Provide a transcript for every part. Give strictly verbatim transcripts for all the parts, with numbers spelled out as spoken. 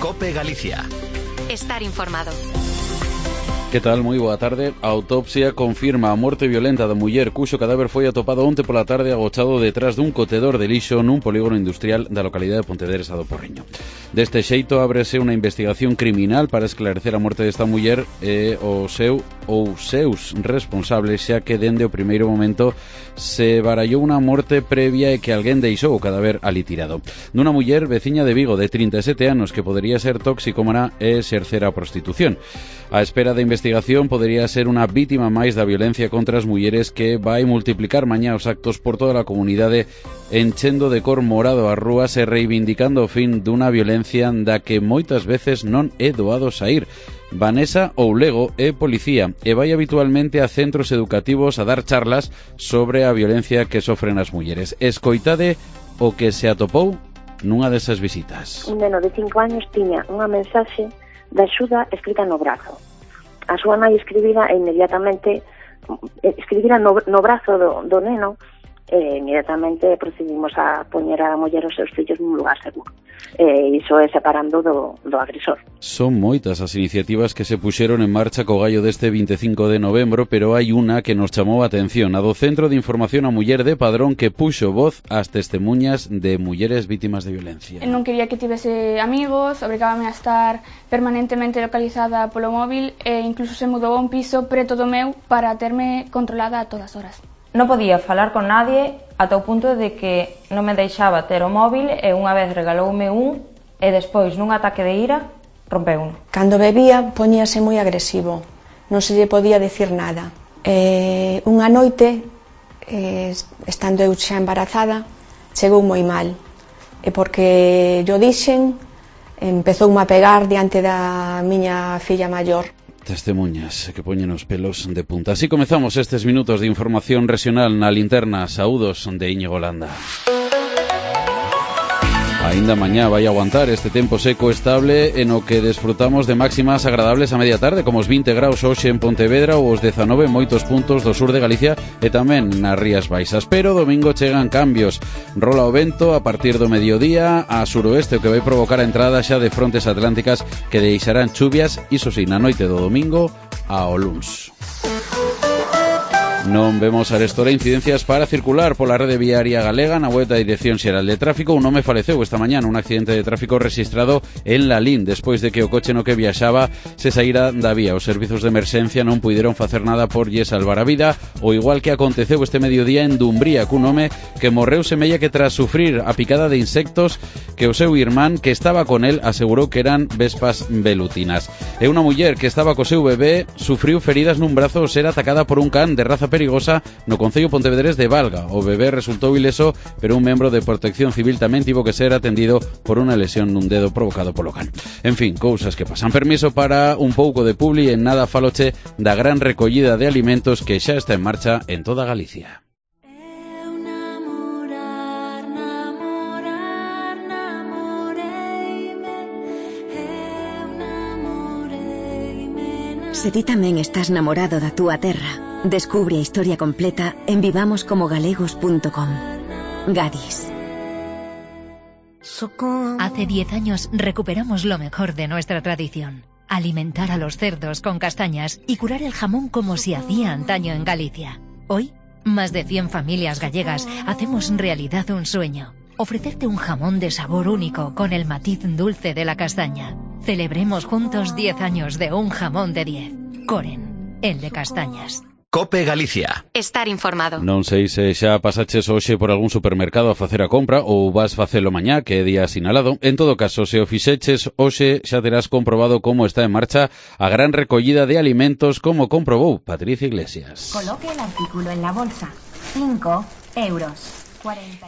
COPE Galicia. Estar informado. Que tal? Moi boa tarde. A autopsia confirma a morte violenta da muller cuxo cadáver foi atopado onte pola tarde agochado detrás dun cotedor de lixo nun polígono industrial da localidade de Pontevedra do Porriño. Deste xeito ábrese unha investigación criminal para esclarecer a morte desta muller e o seu ou seus responsables, xa que dende o primeiro momento se barallou unha morte previa e que alguén deixou o cadáver ali tirado. Nunha muller veciña de Vigo de trinta e sete anos que podería ser toxicómana e exercer a prostitución. A espera da investigación podería ser unha vítima máis da violencia contra as mulleres que vai multiplicar mañá os actos por toda a comunidade, enchendo de cor morado as rúas e reivindicando o fin dunha violencia da que moitas veces non é doado saír. Vanessa Oulego é policía e vai habitualmente a centros educativos a dar charlas sobre a violencia que sofren as mulleres. Escoitade o que se atopou nunha desas visitas. Un neno de cinco años tiña unha mensaxe de axuda escrita no brazo. A súa nai escribira e inmediatamente escribira no, no brazo do, do neno e inmediatamente procedimos a poñer a muller os seus fillos nun lugar seguro. E iso é separando do, do agresor. Son moitas as iniciativas que se puxeron en marcha co gallo deste vinte e cinco de novembro, pero hai unha que nos chamou a atención, a do Centro de Información a Muller de Padrón, que puxo voz ás testemunhas de mulleres vítimas de violencia. Non quería que tivese amigos, obrigábame a estar permanentemente localizada polo móvil e incluso se mudou a un piso preto do meu para terme controlada a todas horas. Non podía falar con nadie ata o punto de que non me deixaba ter o móvil e unha vez regaloume un e despois nun ataque de ira rompeu un. Cando bebía poñíase moi agresivo, non se lle podía dicir nada. E unha noite, eh, estando eu xa embarazada, chegou moi mal e porque yo dixen empezoume a pegar diante da miña filla maior. Testemunhas que poñen os pelos de punta. Así comezamos estes minutos de información regional na linterna. Saúdos de Íñigo Landa. Ainda mañá vai aguantar este tempo seco estable en o que desfrutamos de máximas agradables a media tarde, como os vinte graus hoxe en Pontevedra ou os dezanove en moitos puntos do sur de Galicia e tamén nas Rías Baixas. Pero domingo chegan cambios. Rola o vento a partir do mediodía a suroeste, o que vai provocar a entrada xa de frontes atlánticas que deixarán chuvias, iso si, na noite do domingo ao luns. Non vemos arestora incidencias para circular pola rede viaria galega na web da Dirección Xeral de Tráfico. Un home faleceu esta mañá nun accidente de tráfico registrado en Lalín despois de que o coche no que viaxaba se saíra da vía. Os servizos de emerxencia non puideron facer nada por lle salvar a vida, o igual que aconteceu este mediodía en Dumbría cun home que morreu semella que tras sufrir a picada de insectos que o seu irmán que estaba con el asegurou que eran vespas velutinas. E unha muller que estaba co seu bebé sufriu feridas nun brazo ao ser atacada por un can de raza perigosa no concello pontevedrés de Valga. O bebé resultou ileso, pero un membro de Protección Civil tamén tivo que ser atendido por unha lesión nun dedo provocado polo can. En fin, cousas que pasan. Permiso para un pouco de publi, en nada faloche da gran recollida de alimentos que xa está en marcha en toda Galicia. Se ti tamén estás namorado da túa terra, descubre a historia completa en vivamos como galegos punto com. Gadis. Hace diez años recuperamos lo mejor de nuestra tradición. Alimentar a los cerdos con castañas y curar el jamón como se hacía antaño en Galicia. Hoy, más de cien familias gallegas hacemos realidad un sueño. Ofrecerte un jamón de sabor único con el matiz dulce de la castaña. Celebremos juntos diez años de un jamón de diez. Coren, el de castañas. COPE Galicia. Estar informado. Non sei se xa pasaches hoxe por algún supermercado a facer a compra ou vas facelo mañá, que é día sinalado. En todo caso, se o fixeches hoxe xa terás comprobado como está en marcha a gran recollida de alimentos, como comprobou Patricia Iglesias. Coloque el artículo en la bolsa. cinco euros.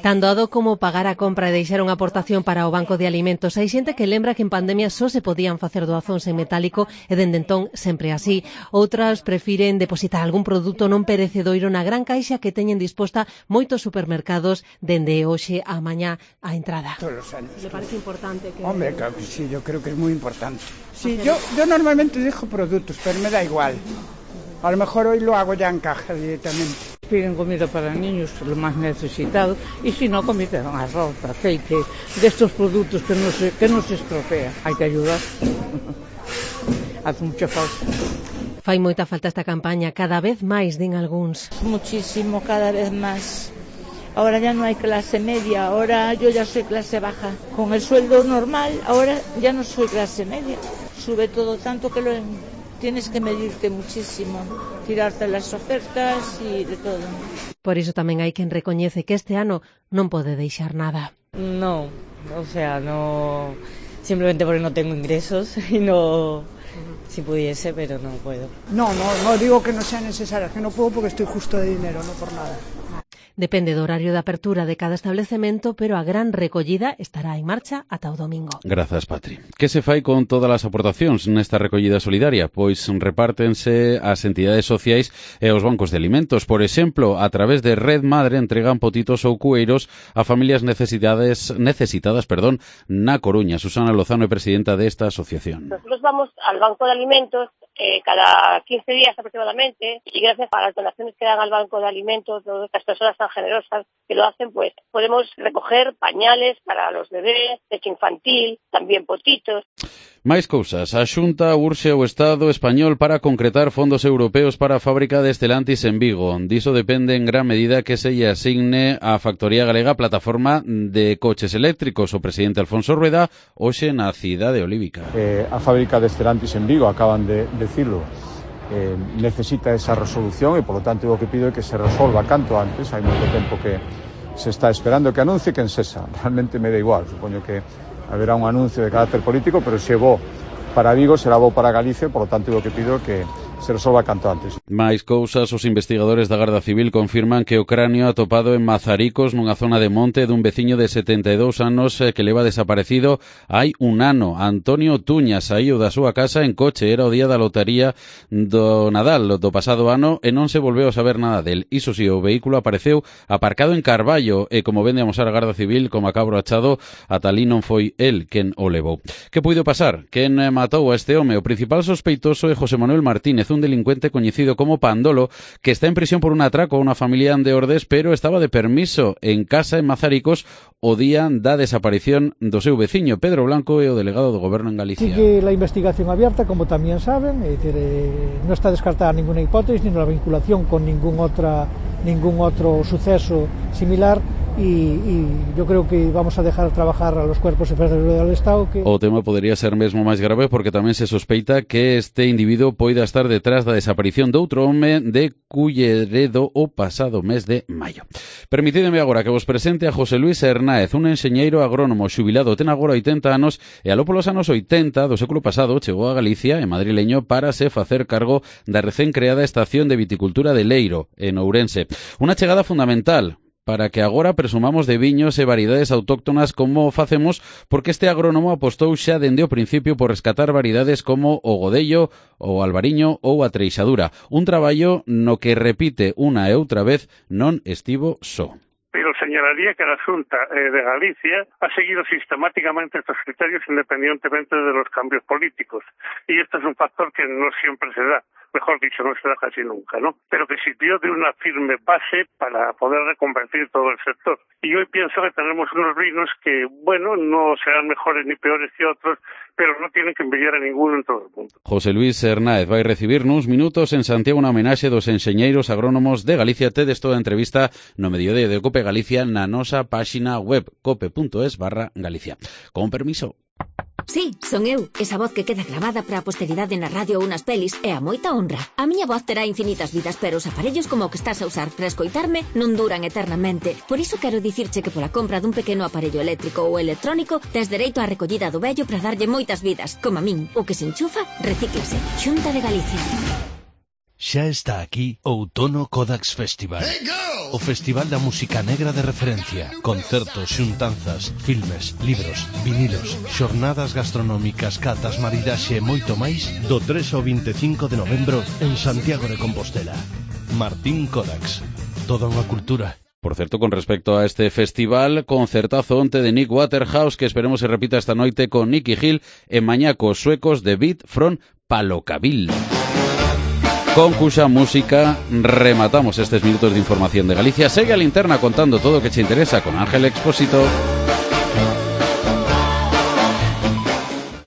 Tan doado como pagar a compra e deixar unha aportación para o Banco de Alimentos. Hai xente que lembra que en pandemia só se podían facer doazóns en metálico e dende entón sempre así. Outras prefiren depositar algún produto non perecedoiro na gran caixa que teñen disposta moitos supermercados dende hoxe a mañá a entrada. Todos los años. ¿Le parece importante que...? Hombre, claro que sí, yo creo que es muy importante. Sí, yo, yo normalmente dejo productos, pero me da igual. A lo mejor hoy lo hago ya en caja directamente. Piden comida para niños, lo más necesitado, y si no, comida, arroz, aceite, de estos productos que no se, que no se estropea. Hay que ayudar. Hace mucha falta. Fai moita falta esta campaña, cada vez máis, din algúns. Muchísimo, cada vez más. Ahora ya no hay clase media, ahora yo ya soy clase baja. Con el sueldo normal, ahora ya no soy clase media. Sube todo tanto que lo tienes que medirte muchísimo, tirarte las ofertas y de todo. Por iso tamén hai quen recoñece que este ano non pode deixar nada. No, o sea, no, simplemente porque no tengo ingresos y no, si pudiese, pero no puedo. No, no, no digo que no sea necesario, que no puedo porque estoy justo de dinero, no por nada. Depende do horario de apertura de cada establecemento, pero a gran recollida estará en marcha ata o domingo. Grazas, Patri. Que se fai con todas as aportacións nesta recollida solidaria? Pois repártense as entidades sociais e os bancos de alimentos. Por exemplo, a través de Red Madre entregan potitos ou cueiros a familias necesitadas, necesitadas perdón, na Coruña. Susana Lozano é presidenta desta asociación. Nosotros vamos al banco de alimentos eh, cada quince días aproximadamente, y gracias a las donaciones que dan al banco de alimentos, todas estas personas tan generosas que lo hacen, pues podemos recoger pañales para los bebés, leche infantil, también potitos. Máis cousas. A Xunta urxe o Estado español para concretar fondos europeos para a fábrica de Stellantis en Vigo. Diso depende en gran medida que se lle asigne á factoría galega plataforma de coches eléctricos. O presidente Alfonso Rueda hoxe na cidade olívica. Eh, a fábrica de Stellantis en Vigo, acaban de decirlo, eh, necesita esa resolución e, por lo tanto, o que pido é que se resolva canto antes. Hai moito tempo que se está esperando que anuncie quen sesa. Realmente me da igual, supoño que haberá un anuncio de carácter político, pero se bo para Vigo, será bo para Galicia, por lo tanto, o que pido é que se resolva canto antes. Mais cousas, os investigadores da Garda Civil confirman que o cráneo atopado en Mazaricos, nunha zona de monte dun veciño de setenta e dous anos que leva desaparecido hai un ano. Antonio Tuña saíu da súa casa en coche, era o día da lotaría do Nadal do pasado ano e non se volveu a saber nada del. Iso si, o vehículo apareceu aparcado en Carballo e, como vende a amosar a Garda Civil, como acabro achado, ata ali non foi el quen o levou. Que puido pasar? Quen matou a este home? O principal sospeitoso é José Manuel Martínez, un delincuente coñecido como Pandolo, que está en prisión por un atraco a unha familia de Ordes, pero estaba de permiso en casa en Mazaricos o día da desaparición do seu veciño. Pedro Blanco é o delegado do Goberno en Galicia. Sigue la investigación abierta, como también saben, es decir, eh, no está descartada ninguna hipótesis ni la vinculación con ningún otra, ningún otro suceso similar. Y, y yo creo que vamos a dejar trabajar a los cuerpos y fuerzas del Estado. Que... O tema podría ser mesmo máis grave porque tamén se sospeita que este individuo poida estar detrás da desaparición de outro home de Culleredo o pasado mes de maio. Permitideme agora que vos presente a José Luis Hernáez, un enxeñeiro agrónomo xubilado, ten agora oitenta anos e aló polos anos oitenta do século pasado chegou a Galicia, en madrileño, para se facer cargo da recén creada estación de viticultura de Leiro, en Ourense. Unha chegada fundamental para que agora presumamos de viños e variedades autóctonas como facemos, porque este agrónomo apostou xa dende o principio por rescatar variedades como o godello, o albariño ou a treixadura. Un traballo no que, repite unha e outra vez, non estivo só. Pero señalaría que la Xunta eh, de Galicia ha seguido sistemáticamente estos criterios independientemente de los cambios políticos. Y esto es un factor que no siempre se da. Mejor dicho, no se da casi nunca, ¿no? Pero que sirvió de una firme base para poder reconvertir todo el sector. Y hoy pienso que tenemos unos vinos que, bueno, no serán mejores ni peores que otros, pero no tienen que envidiar a ninguno en todo el mundo. José Luis Hernáez vai recibir nuns minutos en Santiago unha homenaxe dos enxeñeiros agrónomos de Galicia. Tedes toda a entrevista no mediodía de Cope Galicia na nosa páxina web cope.es barra Galicia. Con permiso. Sí, son eu, esa voz que queda grabada para a posteridade na radio ou nas pelis é a moita honra. A miña voz terá infinitas vidas, pero os aparellos como o que estás a usar para escoitarme non duran eternamente. Por iso quero dicirche que pola compra dun pequeno aparello eléctrico ou electrónico tes dereito á recollida do vello para darlle moitas vidas. Como a min, o que se enchufa, recíclase. Xunta de Galicia. Xa está aquí Outono Kodax Festival. O festival da música negra de referencia. Concertos, xuntanzas, filmes, libros, vinilos, xornadas gastronómicas, catas, maridaxe e moito máis do tres ao vinte e cinco de novembro en Santiago de Compostela. Martín Kodax. Toda unha cultura. Por certo, con respecto a este festival, concertazo onte de Nick Waterhouse, que esperemos se repita esta noite con Nicky Hill e mañá cos suecos de Beat from Palocabil. con cuxa música rematamos estes minutos de información de Galicia. Segue a Linterna contando todo o que che interesa con Ángel Expósito.